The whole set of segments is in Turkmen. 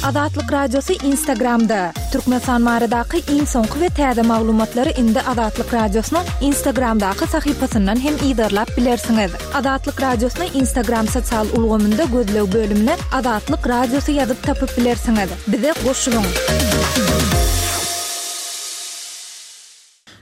Azatlyk Radiosy Instagramda! Türkmenistan baradaky iň soňky we täze maglumatlary indi Azatlyk Radiosynyň Instagramdaky sahypasyndan hem yzarlap bilersiňiz. Azatlyk Radiosyny Instagram sosial ulgamynda gözleg bölümine Azatlyk Radiosy ýazyp tapyp bilersiňiz. Bize goşulyň!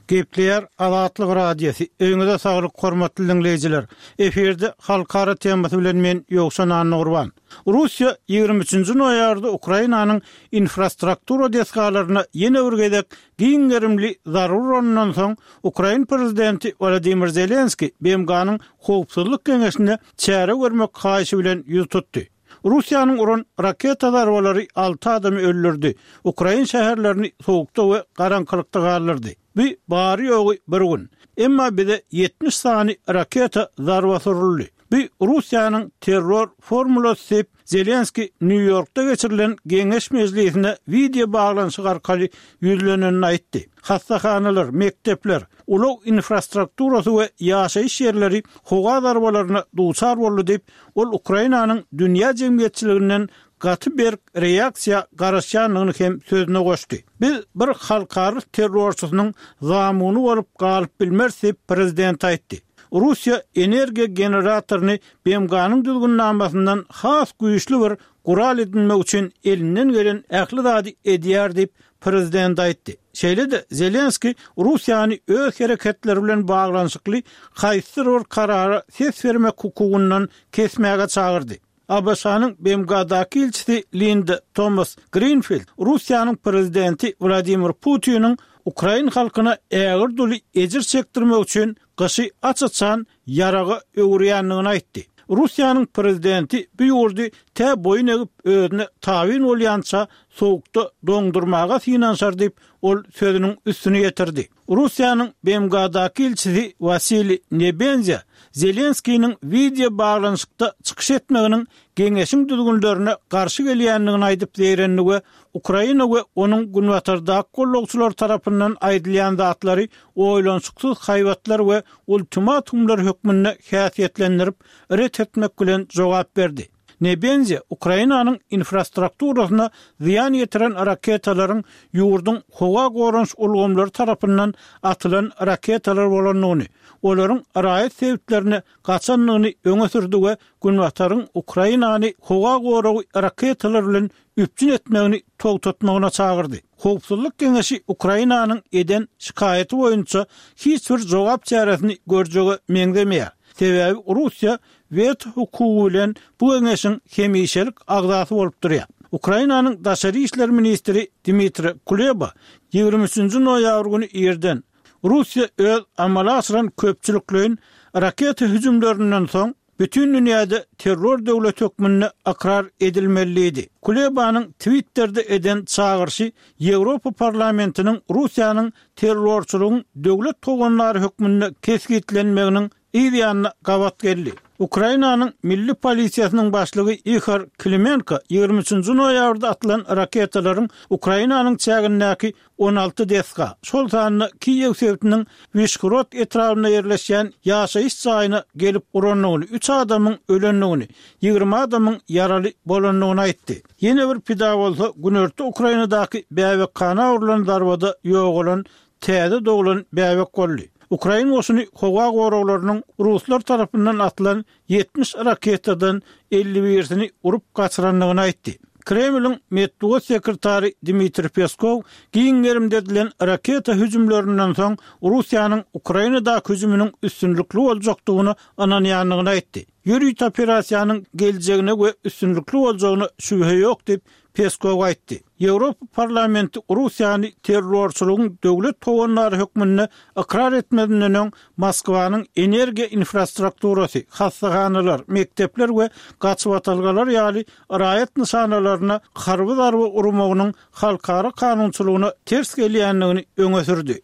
Gepleýär Azatlyk Radiosy, Öýüňize saglyk hormatly diňleýjiler! Efirde Halkara temasy bilen men Ýowşan Annagurban. Russiýa 23-nji noýabrda Ukrainanyň infrastruktura desgalaryna ýene bir gezek giň gerimli zarba uranyndan soň, ukrain prezidenti Wolodymyr Zelenskiý BMG-niň Howpsuzlyk Geňeşine çäre görmek haýyşy bilen ýüz tutdy. Russiýanyň uran raketa zarbalary alty adamy öldürdi, ukrain şäherlerini sowukda we garaňkylykda galdyrdy. Bu bary-ýogy bir gün. Emma bize 70 sany raketa zarbasy uruldy. Bu Russiýanyň terror formulasy diýip, Zelenskiý Nýu-Ýorkda geçirilen geňeş mejlisine wideo baglanyşyk arkaly ýüzlenenini aýtdy. Hassahanalar, mekdepler, ulag infrastrukturasy we ýaşaýyş ýerleri howa zarbalaryna duçar boldy diýip, Ol Ukrainanyň dünýä jemgyýetçiliginden gaty berk reaksiýa garaşýandygyny hem sözüne goşdy. Biz bir halkara terrorçysynyň zamuny bolup galyp bilmeris diýip, prezident aýtdy. Russiýa energiýa generatoryny BMG-niň düzgünnamasyndan has güýçli bir gural edinmek üçin elinden gelen ähli zady edýär diýip, prezident aýtdy. Şeýle-de Zelenskiý Russiýany öz hereketleri bilen baglanyşykly haýsydyr bir karara ses bermek hukugyndan kesmäge çagyrdy. ABŞ-nyň BMG-daky ilçisi Linda Tomas-Grinfild Russiýanyň prezidenti Wladimir Putiniň ukrain halkyna ägirt uly ejir çekdirmek üçin gyşy aç-açan ýaraga öwürýändigini aýtdy. Russiýanyň prezidenti bu ýurdy tä boýun egip özüne tabyn bolýança sowukda doňdurmaga synanyşar diýip, ol sözüniň üstüni ýetirdi. Russiýanyň BMG-daky ilçisi Wasiliý Nebenzýa Zelenskiniň wideo baglanyşykda çykyş etmeginiň geňeşiň düzgünlerine garşy gelýändigini aýdyp zeýrendi we Ukraina we onuň günbatardaky gollagçylary tarapyndan aýdylýan zatlary oýlanyşyksyz haýbatlar we ultimatumlar hökmünde häsiýetlendirip, ret etmek bilen jogap berdi. Nebenzýa Ukrainanyň infrastrukturasyna zyýan ýetiren raketalaryň ýurduň howa goranyş ulgamlary tarapyndan atylan raketalar bolandygyny, olaryň raýat sebitlerine gaçandygyny öňe sürdi we Günbataryň Ukrainany howa goragy raketalar bilen üpjün etmegini togtatmagyna çagyrdy. Howpsuzlyk Geňeşi Ukrainanyň eden şikaýaty boýunça hiç bir jogap çäresini görjege meňzemeýär. Sebäbi Russiýa weto hukugy bilen bu geňeşiň hemişelik agzasy bolup durýar. Ukrainanyň daşary işler ministri Dmitri Kuleba 23-nji noýabr güni irden, Russiýa öz amala aşyran köpçülikleýin raketa hüjümlerinden soň, bütin dünýäde terror döwleti hökmünde ykrar edilmeli diýdi. Kulebanyň Twitterde eden çagyryşy Ýewropa Parlamentiniň Russiýanyň terrorçylygyň döwlet howandary hökmünde kesgitlenmeginiň yz ýanyna gabat geldi. Ukrainanyň Milli polisiýasynyň başlygy Ihor Klimenko 23-nji noýabrda atylan raketalaryň Ukrainanyň çägindäki 16 desga, şol sanda Kiýew sebitiniň Wişgorod etrabynda ýerleşýän ýaşaýyş jaýyna gelip urandygyny, üç adamyň ölendigini, 20 adamyň ýaraly bolandygyny aýtdy. Ýene bir pida bolsa günorta Ukrainadaky bäbekhana urlan zarbada ýogalan täze doglan bäbek boldy. Ukrain goşuny howa goraglarynyň ruslar tarapyndan atylan 70 raketadan 51-sini urup gaçyrandygyny aýtdy. Kremliň metbugat sekretary Dmitriý Peskow giň gerimde edilen raketa hüjümlerinden soň Russiýanyň Ukrainadaky hüjüminiň üstünlikli boljakdygyna ynanýandygyny aýtdy. Ýörite operasiýanyň geljegine we üstünlikli boljagyna şübhe ýok diýip, Peskow aýtdy. Ýewropa Parlamenti Russiýany terrorçylygyň döwlet howandary hökmünde ykrar etmezinden öň Moskwanyň energiýa infrastrukturasy, hassahanalar, mekdepler we gaçybatalgalar ýaly raýat nyşanalaryna harby zarba urmagynyň halkara kanunçylygyna ters gelýändigini öňe sürdi.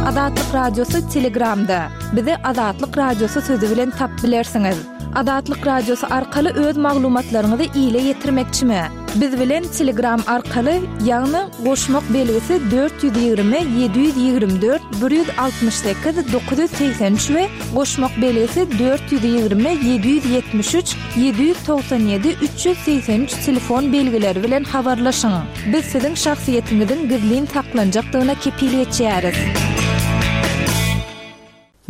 Azatlyk Radiosy Telegramda. Bizi Azatlyk Radiosy sözi bilen tapyp bilersiňiz. Azatlyk Radiosy arkaly öz maglumatlaryňyzy ile ýetirmekçimi? Biz bilen Telegram arkaly, ýagny goşmak belgisi 420 724 168 983 we goşmak belgisi 420 773 797 383 telefon belgileri bilen habarlaşyň. Biz siziň şahsyýetiňiziň gizlin saklanjakdygyna kepil geçýäris.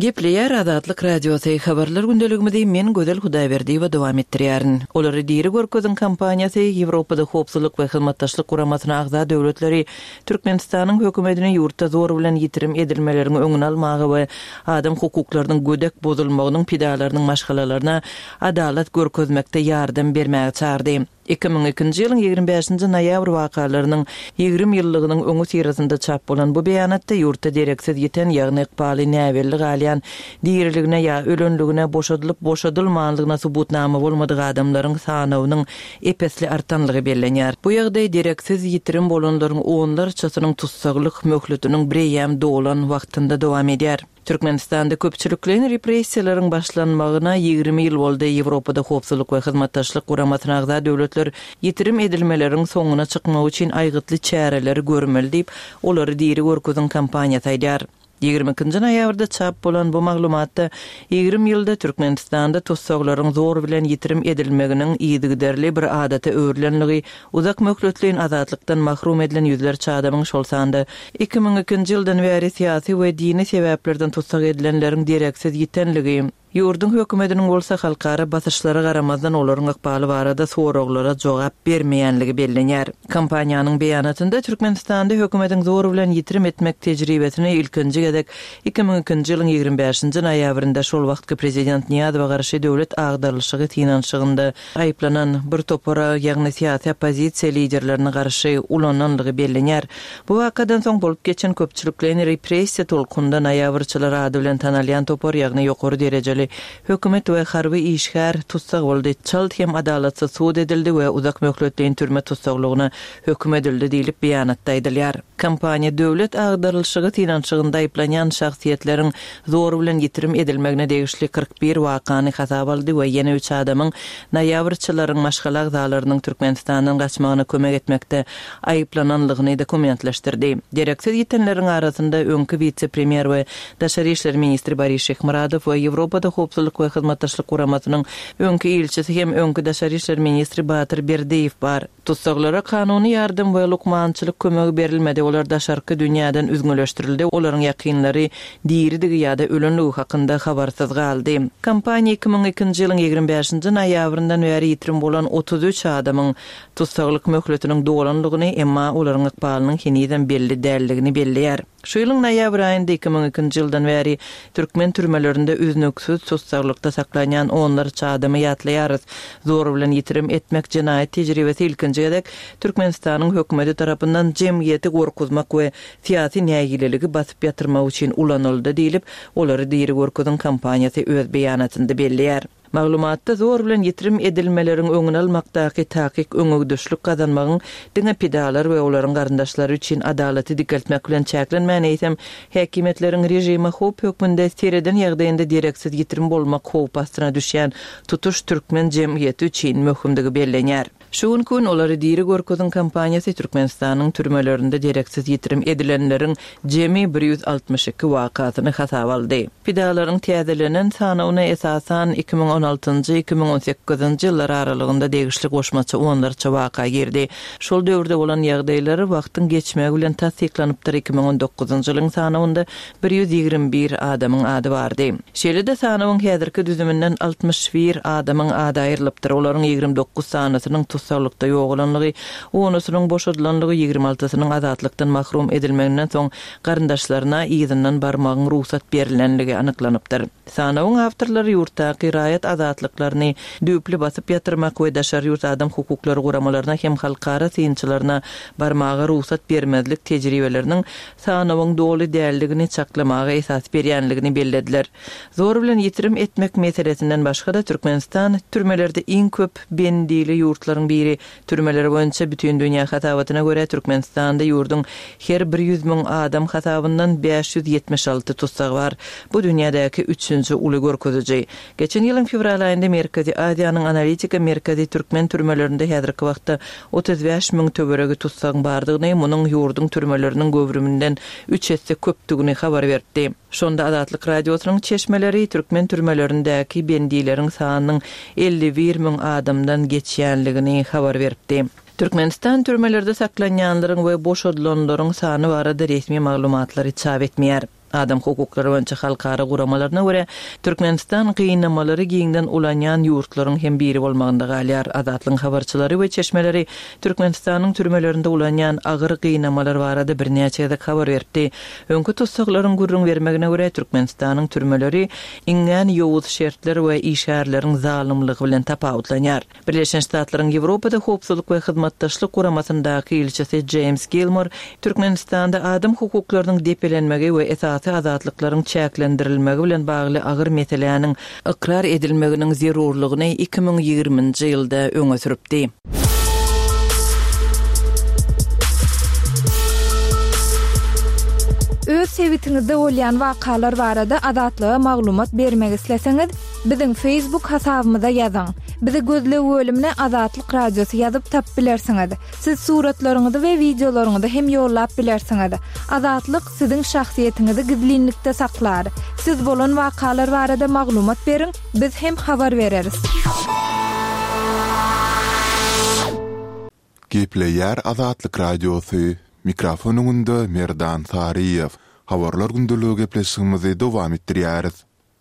Gepleýär Azatlyk Radiosy, Habarlar gündeligimizi men Gözel Hudaýberdiýewa dowam etdirýärin. Olary diri görkeziň kampaniýasy Ýewropada Howpsuzlyk we Hyzmatdaşlyk Guramasyna agza döwletleri Türkmenistanyň hökümetini ýurtda zor bilen ýitirim edilmeleriň öňüni almaga we adam hukuklarynyň gödek bozulmagynyň pidalarynyň maşgalalaryna adalat görkezmekde ýardam bermäge çagyrdy. 2002-nji ýylyň 25-nji noýabr wakalarynyň 20 ýyllygynyň öňüsyrasynda çap bolan bu beýanatda ýurtda dereksiz ýiten, ýagny ykbaly näbelli galýan, diriligine ýa ölenligine, boşadylyp-boşadylmanlygyna subutnama bolmadyk adamlaryň sanawynyň ep-esli artanlygy bellenýär. Bu ýagdaý dereksiz ýitirim bolanlaryň onlarçasynyň tussaglyk möhletiniň bireýýäm dolan wagtynda dowam edýär. Türkmenistanda köpçülikleýin repressiýalaryň başlanmagyna 20 ýyl boldy. Ýewropada Howpsuzlyk we Hyzmatdaşlyk Guramasyna agza döwletler ýitirim edilmeleriň soňuna çykmak üçin aýgytly çäreleri görmeli diýip, Olary diri görkeziň kampaniýasy aýdýar. 22-nji noýabrda çap bolan bu maglumatda 20 ýylda Türkmenistanda tussaglaryň zor bilen ýitirim edilmeginiň yzygiderli bir adata öwrülenligi, uzak möhletleýin azatlykdan mahrum edilen ýüzlerçe adamyň, şol sanda 2002-nji ýyldan bäri syýasy we dini sebäplerden tussag edilenleriň dereksiz ýitenligi, Ýurduň hökümetiniň bolsa halkara basyşlara garamazdan olaryň ykbaly barada soraglara jogap bermeýänligi bellenýär. Kompaniýanyň beýanatynda Türkmenistanda hökümetiň zor bilen ýitirim etmek tejribesini ilkinji gezek 2002-nji ýylyň 25-nji noýabrynda şol wagtky prezident Nyýazowa garşy döwlet agdarylyşygy synanyşygynda aýyplanan bir topara, ýagny syýasy oppozisiýa liderlerine garşy ulananlygy bellenýär. Bu wakadan soň bolup geçen köpçülikleýin repressiýa tolkunynda noýabrçylar ady bilen tanalýan topar, ýagny ýokary derejeli hökümet we harby işgär tussag boldy, çalt hem adalatsyz sud edildi we uzak möhletleýin türme tussaglygyna höküm edildi diýlip, beýanatda aýdylýar. Kompaniýa döwlet agdarylyşygy synanyşygynda aýyplanýan şahsyýetleriň zor bilen ýitirim edilmegine degişli 41 wakany hasaba aldy we ýene üç adamyň noýabrçylaryň maşgala agzalarynyň Türkmenistandan gaçmagyna kömek etmekde aýyplananlygyny dokumentleşdirdi. Dereksiz ýitenleriň arasynda öňki wise-premýer we daşary işler ministri Boris Şyhmyradow we Ýewropada Howpsuzlyk we Hyzmatdaşlyk Guramasynyň öňki ilçisi hem öňki daşary işler ministri Batyr Berdiýew bar. Tussaglara kanuny ýardam we lukmançylyk kömegi berilmedi, olar daşarky dünýäden üzňeleşdirildi, olaryň ýakynlary diridigi ýa-da ölenligi hakynda habarsyz galdy. Kompaniýa 2002-nji ýylyň 25-nji noýabryndan bäri ýitirim bolan 33 adamyň tussaglyk möhletiniň dolanlygyny, emma olaryň ykbalynyň henizem belli däldigini belleýär. Şu ýylyň noýabr aýynda 2002-nji ýyldan bäri türkmen türmelerinde üznüksiz tussaglykda saklanýan onlarça adamy ýatlaýarys. Zor bilen ýitirim etmek jenaýat tejribesi ilkinji gezek Türkmenistanyň hökümeti tarapyndan jemgyýeti gorkuzmak we syýasy nägileligi basyp ýatyrmak üçin ulanyldy diýlip, Olary diri görkeziň kampaniýasy öz beýanatynda belleýär. Maglumatda zor bilen ýitirim edilmeleriň öňüni almakdaky takyk öňegidişlik gazanmagyň diňe pidalar we olaryň garyndaşlary üçin adalaty dikeltmek bilen çäklenmän, eýsem, häkimiýetleriň režime howp hökmünde sereden ýagdaýynda dereksiz ýitirim bolmak howpy astyna düşýän tutuş türkmen jemgyýeti üçin möhümdigi bellenýär. Şu günki gün Olary diri görkeziň kampaniýasy Türkmenistanyň türmelerinde dereksiz ýitirim edilenleriň jemi 162 wakasyny hasaba aldy. Pidalaryň täzelenen sanawyna esasan 2016-njy, 2018-nji ýyllar aralygynda degişli goşmaça onlarça waka girdi. Şol döwürde bolan ýagdaýlar wagtyň geçmegi bilen tassyklanypdyr, 2019-njy ýylyň sanawynda 121 adamyň ady bardy. Şeýle-de sanawyň häzirki düzüminden 61 adamyň ady aýrylypdyr, olaryň 29 sanysynyň tussaglykda ýogalanlygy, onusynyň boşadylanlygy, 26-synyň azatlykdan mahrum edilmeginden soň garyndaşlaryna yzyndan barmagyň rugsat berlenligi anyklanypdyr. Sanawyň awtorlary ýurtdaky raýat azatlyklaryny düýpli basyp ýatyrmak we daşary ýurt adam hukuklary guramalaryna hem halkara synçylaryna barmaga rugsat bermezlik tejribeleriniň sanawyň doly däldigini çaklamaga esas berýänligini bellediler. Zor bilen ýitirim etmek meselesinden başga-da, Türkmenistan türmelerde iň köp bendili ýurtlaryň biri. Türmeler boýunça Bütindünýä hasabatyna görä, Türkmenistanda ýurduň her bir 100 müň adam hasabyndan 576 tussag bar. Bu dünýädäki üçünji uly görkeziji. Geçen ýylyň. fewral aýynda Merkezi Aziýanyň analitika merkezi türkmen türmelerinde häzirki wagtda 35 müň töweregi tussagyň bardygyny, munuň ýurduň türmeleriniň göwrüminden üç esse köpdügini habar beripdi. Şonda Azatlyk Radiosynyň çeşmeleri türkmen türmelerindäki bendileriň sanynyň 51 müň adamdan geçýänligini habar beripdi. Türkmenistan türmelerde saklanýanlaryň we boşadylanlaryň sany barada resmi maglumatlary çap etmeýär. Adam hukuklary boýunça halkara guramalaryna görä, Türkmenistan gynamalary giňden ulanýan ýurtlaryň hem biri bolmagynda galýar. Azatlygyň habarçylary we çeşmeleri Türkmenistanyň türmelerinde ulanýan agyr gynamalar barada birnäçe gezek habar beripdi. Öňki tussaglaryň gürrüň bermegine görä, Türkmenistanyň türmeleri iňňän ýowuz şertler we işgärleriň zalymlygy bilen tapawutlanýar. Birleşen Ştatlaryň Ýewropada Howpsuzlyk we Hyzmatdaşlyk Guramasyndaky ilçisi Jeýms Gilmor Türkmenistanda adam hukuklarynyň depelenmegi we esasy azatlyklaryň çäklendirilmegi bilen bagly agyr meseläniň ykrar edilmeginiň zerurlygyny 2020-nji ýylda öňe sürüpdi. Öz sebitiňizde bolýan wakalar barada Azatlyga maglumat bermek isleseňiz, Biziň Facebook hasabymyza ýazyň. Bizi gözleg bölümine Azatlyk Radiosy ýazyp tapyp bilersiňiz. Siz suratlaryňyzy we wideolaryňyzy hem ýollap bilersiňiz. Azatlyk siziň şahsyýetiňizi gizlinlikde saklar. Siz bolan wakalar barada maglumat beriň, biz hem habar bereris. Gepleýär Azatlyk Radiosy, Mikrofon öňünde Merdan Saryýew. Habarlar gündeligi gepleşigimizi dowam etdirýäris.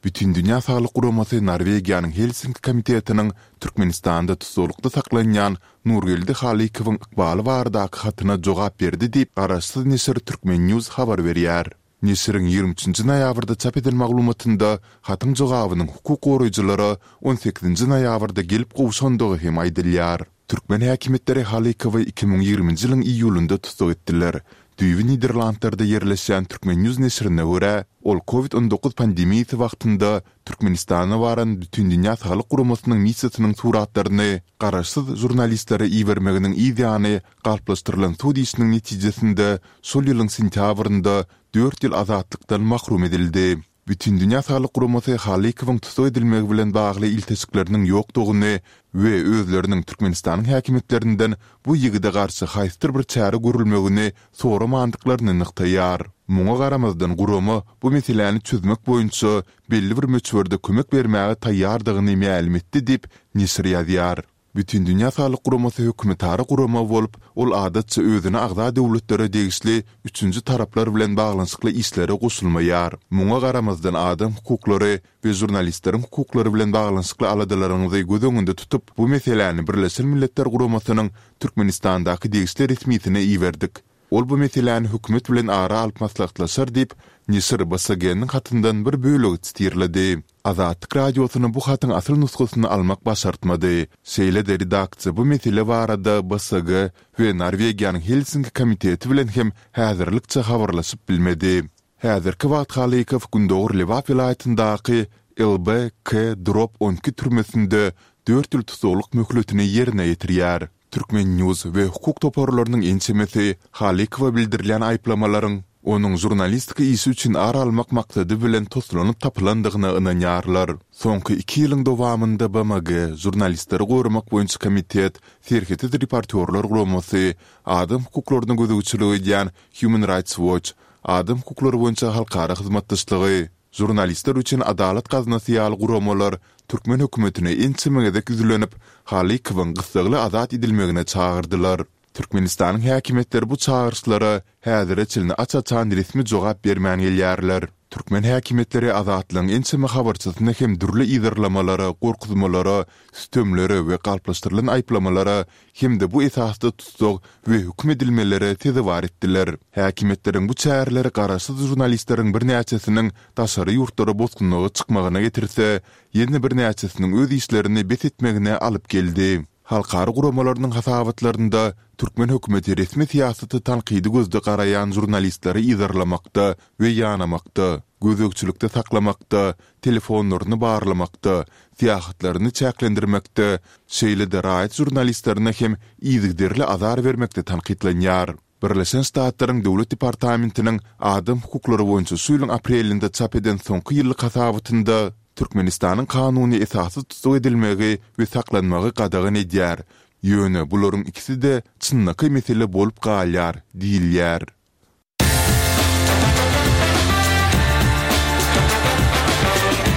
Bütindünýä Saglyk Guramasy Norwegiýanyň Helsinki komitetiniň Türkmenistanda tussaglykda saklanýan Nurgeldi Halykowyň ykbaly baradaky hatyna jogap berdi diýip, garaşsyz neşir Turkmen News habar berýär. Neşiriň 23 nji noýabrda çap eden maglumatynda hatyň jogabynyň hukuk goraýjylara 18 nji noýabrda gelip gowşandygy hem aýdylýar. Türkmen häkimiýetleri Halykowy 2020-nji ýylyň iýulynda tussag etdiler. Düýbi Niderlandlarda ýerleşýän Turkmen News neşirine görä, ol Covid 19 pandemiýasy wagtynda Türkmenistana baran Bütindünýä Saglyk Guramasynyň missiýasynyň suratlaryny garaşsyz žurnalistlere ibermeginiň yz ýany galplaşdyrylan sud işiniň netijesinde şol ýylyň sentýabrynda dört ýyl azatlykdan mahrum edildi. Bütindünýä Saglyk Guramasy Halykowyň tussag edilmegi bilen bagly ilteşikleriniň ýokdugyny we özleriniň Türkmenistanyň häkimiýetlerinden bu ýigide garşy haýsydyr bir çäre görülmegini soramandyklaryny nygtaýar. Muňa garamazdan gurama bu meseläni çözmek boýunça belli bir möçberde kömek bermäge taýýardygyny mälim etdi diýip, neşir ýazýar. Bütindünýä Saglyk Guramasy hökümetara gurama bolup, ol adatça özüne agza döwletlere degişli üçünji taraplar bilen baglanyşykly işlere goşulmaýar. Muňa garamazdan adam hukuklary we žurnalistleriň hukuklary bilen baglanyşykly aladalaryňyzy göz öňünde tutup, bu meseläni Birleşen Milletler Guramasynyň Türkmenistandaky degişli resmisine iberdik. Ol bu meseläni hökümet bilen ara alyp maslahatlaşar diýip, neşir BSG-niň hatyndan bir bölegi sitirledi. Azatlyk Radiosyna bu hatyň asyl nusgasyny almak başartmady. Şeýle-de redaksiýa bu mesele barada BSG we Norwegiýanyň Helsinki komiteti bilen hem häzirlikçe habarlaşyp bilmedi. Häzirki wagt Halykow gündogar Lebap welaýatyndaky LBK drop 12 türmesinde dört ýyl tussaglyk möhletini ýerine ýetirýär. Turkmen. News we hukuk toparlarynyň ençemesi Halykowa bildirilýän aýyplamalaryň onuň žurnalistika işi üçin ar almak maksady bilen toslanyp tapylandygyna ynanýarlar. Soňky iki ýylyň dowamynda BMG, Žurnalistleri goramak boýunça komitet, Serhetsiz reportýorlar guramasy, adam hukuklaryna gözegçilik edýän Human Rights Watch, Adam hukuklary boýunça halkara hyzmatdaşlygy, Žurnalistler üçin Adalat gaznasy ýaly guramalar türkmen hökümetine ençeme gezek ýüzlenip, Halykowyň gyssagly azat edilmegine çagyrdylar. Türkmenistanyň häkimiýetleri bu çagyryşlara häzire çenli aç-açan resmi jogap bermän gelýärler. Türkmen häkimiýetleri Azatlygyň ençeme habarçysyny hem dürli yzarlamalara, gorkuzmalara, sütemlere we galplaşdyrylan aýyplamalara hem-de bu esasda tussag we höküm edilmelere sezewar etdiler. Häkimiýetleriň bu çäreleri garaşsyz žurnalistleriň birnäçesiniň daşary ýurtlara bosgunlyga çykmagyna getirse, ýene birnäçesiniň öz işlerini bes etmegine alyp geldi. Halkara guramalarynyň hasabatlarynda türkmen hökümeti resmi syýasata tankydy gözde garaýan žurnalistleri yzarlamakda we ýanamakda, gözegçilikde saklamakda, telefonlaryny barlamakda, syýahatlaryny çäklendirmekde, şeýle-de raýat žurnalistlerine hem yzygiderli azar bermekde tankytlanýar. Birleşen Ştatlaryň Döwlet departamentiniň adam hukuklary boýunça şu ýylyň aprelinde çap eden soňky ýyllyk hasabatynda. Türkmenistanyň kanuny esassyz tussag edilmegi we saklanmagy gadagan edýär. Ýöne bularyň ikisi-de çynlakaý mesele bolup galýar diýilýär.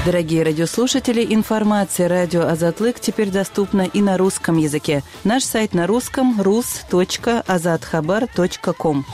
Дорогие радиослушатели, информация радио Азатлык теперь доступна и на русском языке. Наш сайт на русском rus.azathabar.com.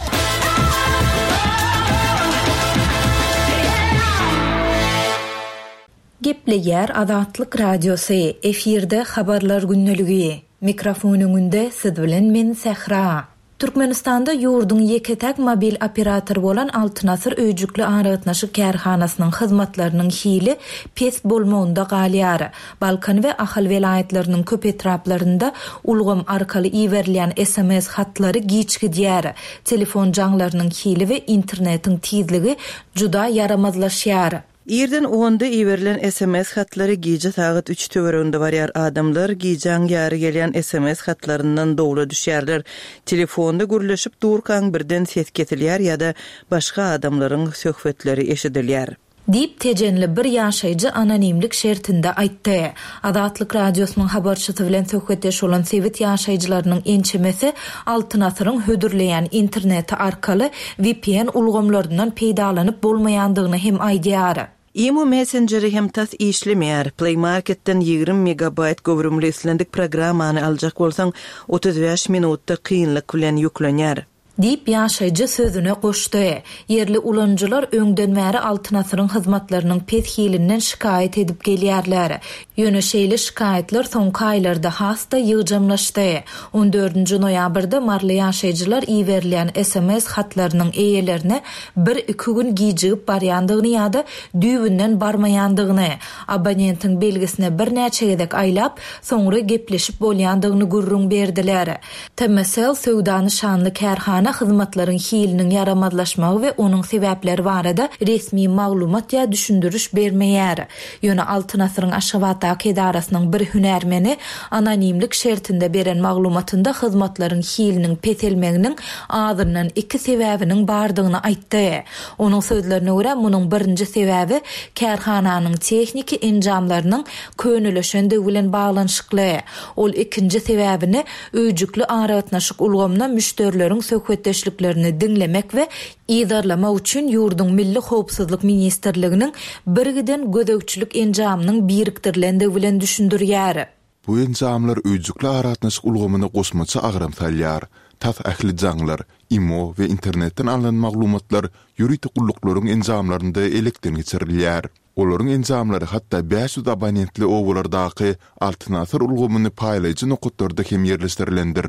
Gepleýär Azatlyk Radiosy, efirde Habarlar gündeligi. Mikrofon öňünde siz bilen men Sähra. Türkmenistanda ýurduň ýeke-täk mobil operatory bolan Altyn Asyr öýjükli aragatnaşyk kärhanasynyň hyzmatlarynyň hili pes bolmagynda galýar. Balkan we Ahal welaýatlarynyň köp etraplarynda ulgam arkaly iberilýän sms hatlary giç gidýär. Telefon jaňlarynyň hili we internetiň tizligi juda ýaramazlaşýar. Irden onda iberilen sms hatlary gije sagat üç töwereginde barýar. Adamlar gijäň ýary gelýän sms hatlaryndan dowla düşýärler. Telefonda gürleşip durkaň birden ses kesilýär ýa-da başga adamlaryň söhbetleri eşidilýär. Diýip, tejenli bir ýaşaýjy anonimlik şertinde aýtdy. Azatlyk Radiosynyň habarçysy bilen söhbetdeş bolan sebit ýaşaýjylarynyň ençemesi Altyn asyryň hödürleýän interneti arkaly vpn ulgamlaryndan peýdalanyp bolmaýandygyny hem aýdýar. Imo messenjeri hem tas işlemeýär. Play Marketden 20 megabaýt göwrümli islendik programmany aljak bolsaň, 35 minutda kynlyk bilen ýüklenýär. Diýip, ýaşaýjy sözüne goşdy. Ýerli ulanyjylar öňden bäri Altyn asyryň hyzmatlarynyň pes hilinden şikaýat edip gelýärler. Ýöne şeýle şikaýatlar soňky aýlarda has-da ýygjamlaşdy. On dördünji noýabrda maryly ýaşaýjylar iberilýän sms hatlarynyň eýelerine bir-iki gün gijigip barýandygyny ýa-da düýbünden barmaýandygyny, abonentiň belgisine birnäçe gezek aýlap, soňra gepleşip bolýandygyny gürrüň berdiler. TMSL söwda nyşanly kärhana hyzmatlaryň hiliniň ýaramazlaşmagy we onuň sebäpleri barada resmi maglumat ýa düşündiriş bermeýär. Ýöne Altyn asyryň Aşgabatdaky edarasynyň bir hünärmeni anonimlik şertinde beren maglumatynda hyzmatlaryň hiliniň peselmeginiň azyndan iki sebäbiniň bardygyny aýtdy. Onuň sözlerine görä, munuň birinji sebäbi kärhananyň tehniki enjamlarynyň könelişendigi bilen baglanyşykly. Ol ikinji sebäbini öýjükli aragatnaşyk ulgamyna müşderileriň söhbetdeşliklerini diňlemek we yzarlamak üçin ýurduň Milli howpsuzlyk ministrliginiň birgiden gözegçilik enjamynyň birikdirilendigi bilen düşündirýär. Bu enjamlar öýjükli aragatnaşyk ulgamyna goşmaça agram salýar. Tas ähli jaňlar, imo we internetden alnan maglumatlar ýörite gulluklaryň enjamlarynda elekden geçirilýär. Olaryň enjamlary hatda 500 abonentli obalardaky Altyn asyr ulgamyny paýlaýjy nokatlarda hem ýerleşdirilendir.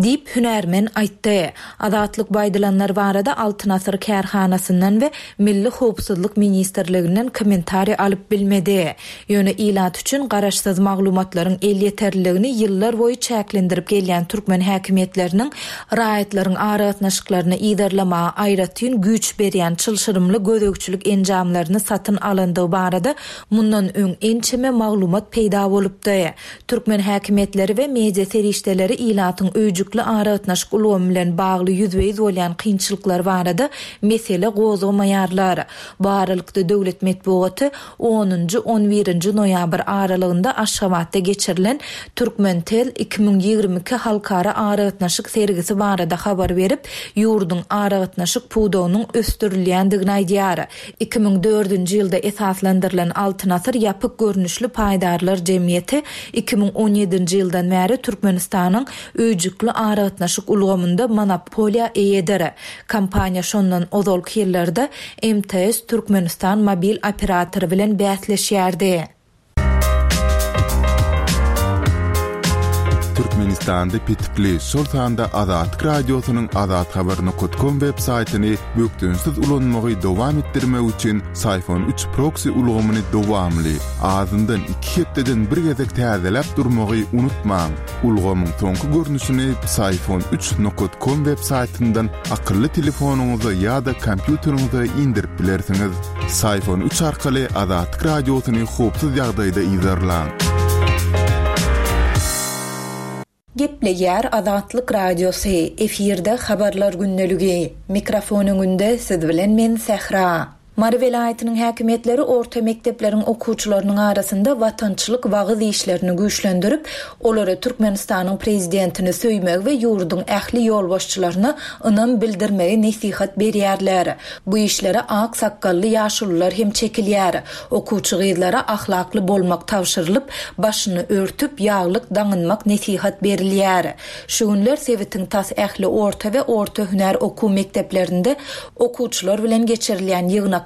Diýip, hünärmen aýtdy. Azatlyk bu aýdylanlar barada Altyn asyr kärhanasyndan we Milli howpsuzlyk ministrliginden kommentariý alyp bilmedi. Ýöne ilat üçin garaşsyz maglumatlaryň elýeterliligini ýyllarboýy çäklendirip gelýän türkmen häkimiýetleriniň raýatlaryň aragatnaşyklaryny yzarlamaga aýratyn güýç berýän çylşyrymly gözegçilik enjamlaryny satyn alandygy barada mundan öň ençeme maglumat peýda bolupdy. Türkmen häkimiýetleri we media serişdeleri ilatyň öýjükli aragatnaşyk ulgamy bilen bagly ýüzbe-ýüz bolýan kynçylyklary barada mesele gozgamaýarlar. Bu aralykda döwlet metbugaty onunjy, on birinji noýabr aralygynda Aşgabatda geçirilen Turkmentel 2022 halkara aragatnaşyk sergisi barada habar berip, ýurduň aragatnaşyk pudagynyň ösdürilýändigini aýdýar. 2004-nji ýylda esaslandyrylan Altyn asyr ýapyk görnüşli paýdarlar jemgyýeti 2017-nji ýyldan bäri Türkmenistanyň öýjükli aragatnaşyk ulgamynda monopoliýa eýedir. Kompaniýa şondan ozalky ýyllarda MTS Türkmenistan mobil operatory bilen bäsleşýärdi. Türkmenistanda petikli, şol sanda Azatlyk Radiosynyň azathabar nokat kom web saýtyny bökdençsiz ulanmagy dowam etdirmek üçin Syfon üç proksi ulgamyny dowamly, azyndan iki hepdeden bir gezek täzeläp durmagy unutmaň. Ulgamyň soňky görnüşini Psiphon üç nokat kom web saýtyndan akylly telefonyňyza ýa-da kompýuteriňize indirip bilersiňiz. Psiphon üç arkaly Azatlyk Radiosyny howpsuz ýagdaýda yzarlaň. Gepleýär Azatlyk Radiosy, efirde Habarlar gündeligi. Mikrofon öňünde siz bilen men Sähra. Mary welaýatynyň häkimiýetleri orta mekdepleriň okuwçylarynyň arasynda watançylyk wagyz işlerini güýçlendirip, olara Türkmenistanyň Prezidentini söýmegi we ýurduň ähli ýolbaşçylaryna ynam bildirmegi nesihat berýärler. Bu işlere ak sakgally ýaşulular hem çekilýär. Okuwçy gyzlara ahlakly bolmak tabşyrylyp, başyny örtüp, ýaglyk daňynmak nesihat berilýär. Şu günler sebitiň tas ähli orta we orta hünär okuw mekdeplerinde okuwçylar bilen geçirilýän ýygnaklar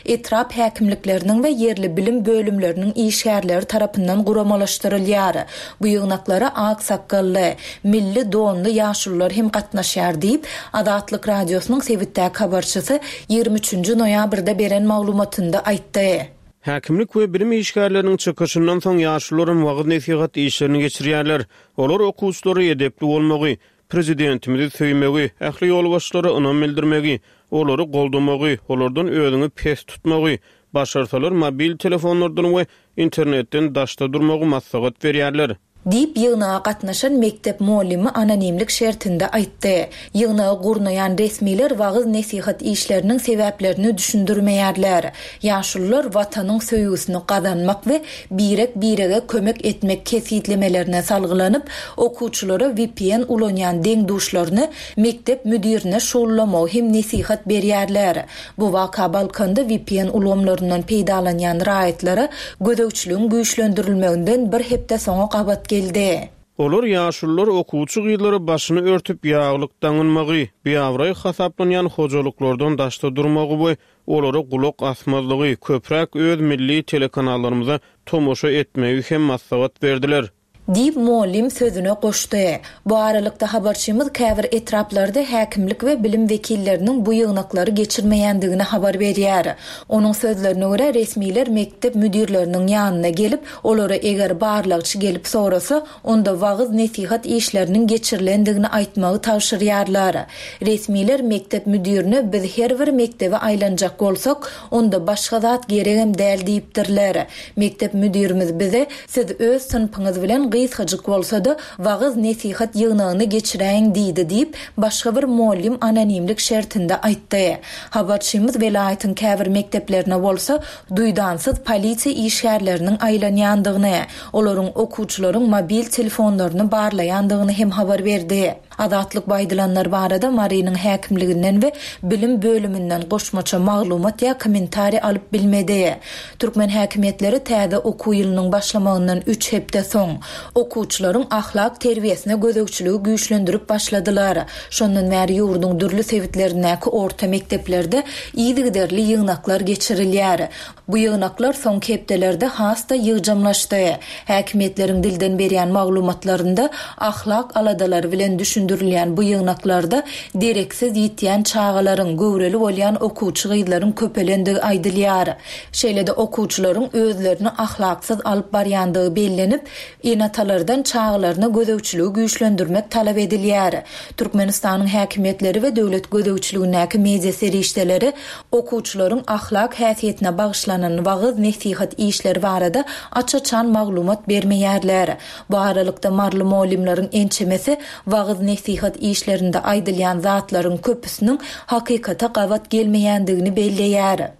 etrap häkimlikleriniň we ýerli bilim bölümleriniň işgärleri tarapyndan guramalaşdyrylýar. Bu ýygnaklara ak sakgally, milli donly ýaşulular hem gatnaşýar diýip, Azatlyk Radiosynyň sebitdäki habarçysy 23-nji noýabrda beren maglumatynda aýtdy. Häkimlik we bilim işgärleriniň çykyşyndan soň ýaşulularam wagyz-nesihat işlerini geçirýärler. Olar okuwçylara edepli bolmagy, Prezidentimizi söýmegi, ähli ýolbaşçylara ynam bildirmegi, olary goldamagy, olardan özüňi pes tutmagy, başarsalar mobil telefonlardan we internetden daşda durmagy maslahat berýärler. Diýip, ýygnaga gatnaşan mekdep mugallymy anonimlik şertinde aýtdy. Ýygnagy gurnaýan resmiler wagyz-nesihat işleriniň sebäplerini düşündirmeýärler. Ýaşulular Watanyň söýgüsini gazanmak we birek-birege kömek etmek kesgitlemelerine salgylanyp, okuwçylara vpn ulanýan deň-duşlaryny mekdep müdirine şugullamagy hem nesihat berýärler. Bu waka Balkanda vpn ulgamlaryndan peýdalanýan raýatlara gözegçiligiň güýçlendirilmeginden bir hepde soňa gabat geldi. Olar ýaşulular okuwçy gyzlara başyny örtüp ýaglyk daňynmagy, biabraý hasaplanýan hojalyklardan daşda durmagy we olara gulak asmazlygy, köpräk öz milli telekanallarymyza tomaşa etmegi hem maslahat berdiler. Diýip, mugallym sözüne goşdy. Bu aralykda, habarçymyz käbir etraplarda häkimlik we bilim wekilleriniň bu ýygnaklary geçirmeýändigini habar berýär. Onuň sözlerine görä, resmiler mekdep müdirleriniň ýanyna gelip, olara eger barlagçy gelip sorasa, onda wagyz-nesihat işleriniň geçirilendigini aýtmagy tabşyrýarlar. Resmiler mekdep müdirine biz her bir mekdebe aýlanjak bolsak, onda başga zat geregem däl diýipdirler. Mekdep müdirimiz bize, Siz öz synpyňyz bilen gysgajyk bolsa-da, wagyz-nesihat ýygnagyny geçiräýiň diýdi diýip, başga bir mugallym anonimlik şertinde aýtdy. Habarçymyz welaýatyň käbir mekdeplerine bolsa, duýdansyz polisiýa işgärleriniň aýlanýandygyny, olaryň okuwçylaryň mobil telefonlaryny barlaýandygyny hem habar berdi. Azatlyk bu aýdylanlar barada Marynyň häkimliginden we bilim bölüminden goşmaça maglumat ýa kommentariý alyp bilmedi. Türkmen häkimiýetleri täze okuw ýylynyň başlamagyndan üç hepde soň, okuwçylaryň ahlak terbiýesine gözegçiligi güýçlendirip başladylar. Şondan bäri ýurduň dürli sebitlerindäki orta mekdeplerde yzygiderli ýygnaklar geçirilýär. Bu ýygnaklar soňky hepdelerde has-da ýygjamlaşdy. Häkimiýetleriň dilden berýän maglumatlarynda ahlak aladalary bilen düşündirilýän bu ýygnaklarda dereksiz ýitýän çagalaryň, göwreli bolýan okuwçy gyzlaryň köpelendigi aýdylýar. Şeýle-de okuwçylaryň özlerini ahlaksyz alyp barýandygy bellenip, Ene-atalardan çagalaryna gözegçiligi güýçlendirmek talap edilýär. Türkmenistanyň häkimiýetleri we döwlet gözegçiligindäki media serişdeleri okuwçylaryň ahlak häsiýetine bagyşlanan wagyz-nesihat işleri barada aç-açan maglumat bermeýärler. Bu aralykda, maryly mugallymlaryň ençemesi wagyz-nesihat işlerinde aýdylýan zatlaryň köpüsiniň hakykata gabat gelmeýändigini belleýär.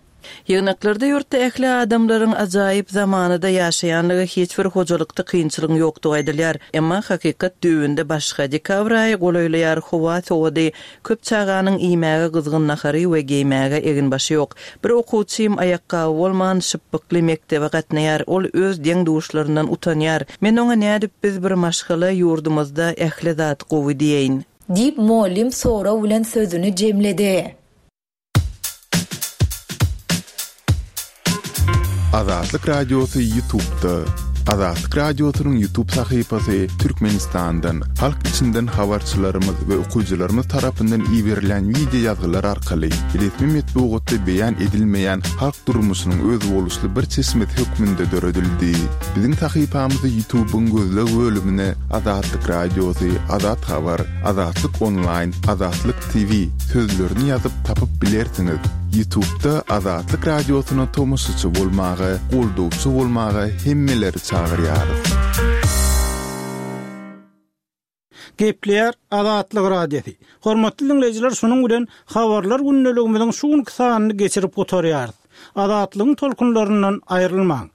Ýygnaklarda ýurtda ähli adamlaryň ajaýyp zamanada ýaşaýanlygy, hiç bir hojalykda kynçylygyň ýokdugy aýdylýar. Emma hakykat düýbünde başga. Dekabr aýy golaýlaýar, howa sowady, köp çaganyň iýmäge gyzgyn nahary we geýmäge eginbaşy ýok. Bir okuwçym aýakgaby bolman, şypbykly mekdebe gatnaýar, ol öz deň-duşlaryndan utanýar. Men oňa nädip biz bir maşgala, ýurdumyzda ähli zat gowy diýeýin? Diýip, mugallym sorag bilen sözüni jemledi. Azatlyk Radiosy Ýutubda. Azatlyk Radiosynyň Ýutub sahypasy Türkmenistandan, halk içinden habarçylarymyz we okyjylarymyz tarapyndan iberilýän wideo ýazgylar arkaly resmi metbugatda beýan edilmeýän halk durmuşynyň özboluşly bir çeşmesi hökmünde döredildi. Biziň sahypamyzy Ýutubyň gözleg bölümine Azatlyk Radiosy, Azat Habar, Azatlyk Onlaýn, Azatlyk TV sözlerini ýazyp tapyp bilersiňiz. Ýutubda Azatlyk Radiosyna tomaşaçy bolmaga, goldawçy bolmaga hemmeleri çagyrýarys. Gepleýär Azatlyk Radiosy. Hormatly diňleýjiler şunuň bilen Habarlar gündeligimiziň şu günki sanyny geçirip gutarýarys. Azatlygyň tolkunlaryndan aýrylmaň.